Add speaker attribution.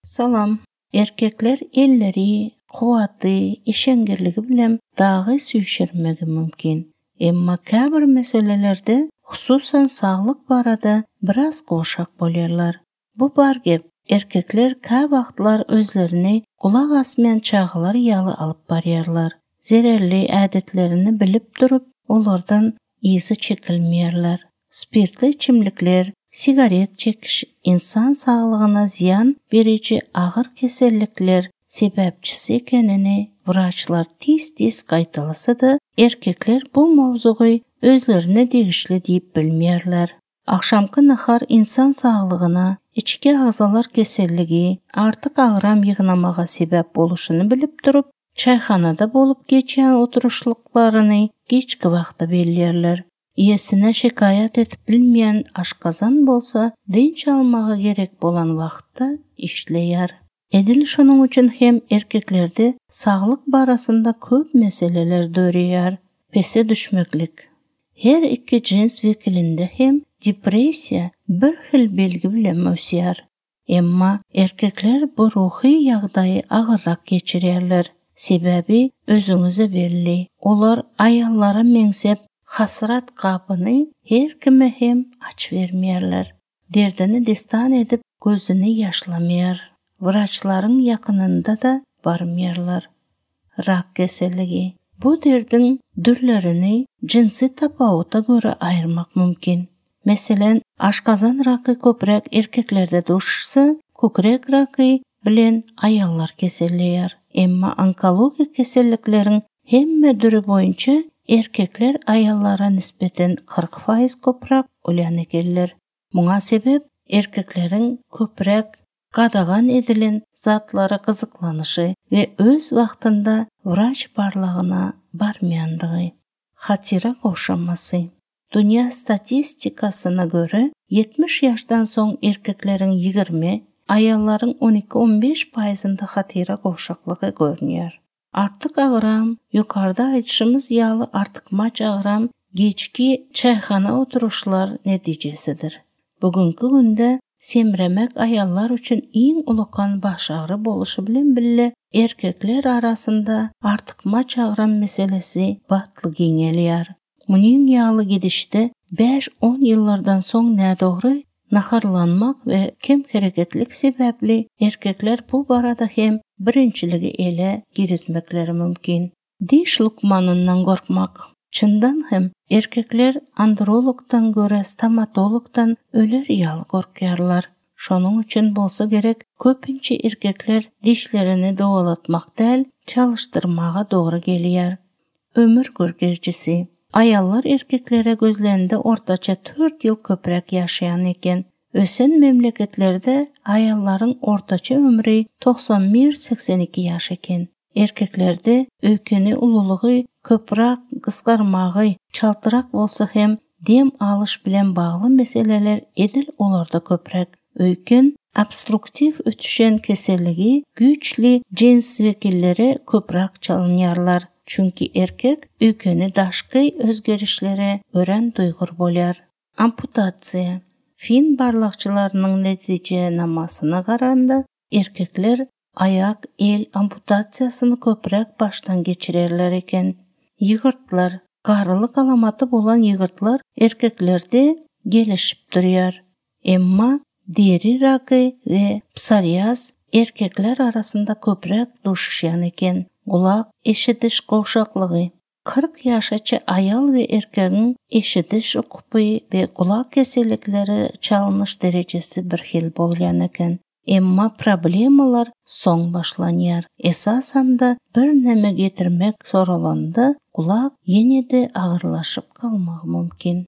Speaker 1: Салам. Эркеклер элleri, кубаты, ишенгерлиги билен дагы сүйүшөрмөгү мүмкүн. Эмма кээ бир маселелерде, хусусан саглык барада бир аз кошак болерлар. Бу бар кеп. Эркеклер кээ вакытлар өзлөрүнө кулак асы менен чагылар ялы алып барырлар. Зерерли адеттерин билип туруп, олордон ийзи чекилмейрлер. Спирттүү ичимдиктер, сигарет чекиш инсан саглыгына зыян берүүчү агыр кеселдиктер себепчиси экенини врачлар тиз кайталаса да, эркеклер бул мовзугу өзлөрүнө дегишле дейп билмейрлер. Акшамкы нахар инсан саглыгына ички агзалар кеселдиги, артык агырам йыгнамага себеп болушун билип туруп, чайханада болуп geçen отурушлукларыны кечки вакытта белгилерлер. Иесине шикаят этип билмеген ашказан болса, ден чалмага керек болгон вакытта иштейер. Эдил шунун үчүн хем эркеклерде саглык барасында көп маселелер дөрөйөр. Песе düşмөклүк. Her iki cins vekilinde hem depressiya bir xil belgi bilen ösýär. Emma erkekler bu ruhy ýagdaýy agyrrak geçirýärler. Sebebi özüňize belli. Olar ayallara meňsep hasrat kapını her kime hem aç vermeýärler. Derdini destan edip gözüni yaşlamaýar. Wraçlaryň yakınında da barmaýarlar. Rak keselligi. Bu derdin dürlerini cinsi tapawuta göre ayırmak mümkün. Meselen, aşkazan rakı köprek erkeklerde duşsa, kökrek rakı bilen ayallar keselleýär. Emma onkologik keselliklerin hemme dürü boyunca erkekler ayallara nispeten 40% köprek ölen ekenler. Muňa sebep erkeklerin köprek gadagan edilen zatlara kızıklanışı ve öz vaktında vraç barlığına barmayandığı. Hatira koşaması. Dünya statistikasına göre 70 yaştan soň erkeklerin 20, ayalların 12-15%'ında hatira koşaklığı görünüyor. Artık ağıram, yukarıda aytışımız yalı artıkmaç ağıram, geçki çayxana oturuşlar neticesidir. Bugünkü günde semremek ayallar üçün iň ulukan baş ağrı boluşu bilen bille erkekler arasında artıkmaç ağıram meselesi batly giňelýär. Munyň ýaly gidişde 5-10 ýyllardan soň nädogry naharlanmak ve kem hereketlik sebäpli erkekler bu barada hem birinçiligi ele girizmekleri mümkin. Diş lukmanından gorkmak. Çyndan hem erkekler andrologdan göre stomatologdan öler ýaly gorkýarlar. Şonuň üçin bolsa gerek köpünçe erkekler dişlerini dowalatmak däl çalışdyrmaga dogry gelýär. Ömür görgezjisi. Ayallar erkeklere gözlerinde ortaça 4 yıl köprek yaşayan eken. Ösen memleketlerde ayalların ortaça ömrü 91-82 yaş eken. Erkeklerde öykeni ululuğu, köprak, kıskarmağı, çaltırak bolsa hem dem alış bilen bağlı meseleler edil olarda köprek. Öyken obstruktif ötüşen keselligi güçlü cins vekilleri köprak çalınýarlar. Çünkü erkek öykeni daşky özgerişlere ören duygur bolýar. Amputatsiya. Fin barlakçılarının netije namasyna garanda erkekler ayak, el amputatsiyasyny köprek baştan geçirerler eken. Ýygyrtlar, garlyk alamaty bolan ýygyrtlar erkeklerde gelişip durýar. Emma deri rakı ve psoriaz erkekler arasında köprek duşuşýan eken. Kulak eşitiş koşaklığı. 40 yaşaça ayal ve erkeğin eşitiş ukupy ve kulak kesellikleri çalınış derecesi bir hil bolýan eken. Emma problemalar soň başlanýar. Esasanda bir neme getirmek sorulanda kulak ýene-de agyrlaşyp kalmagy mümkin.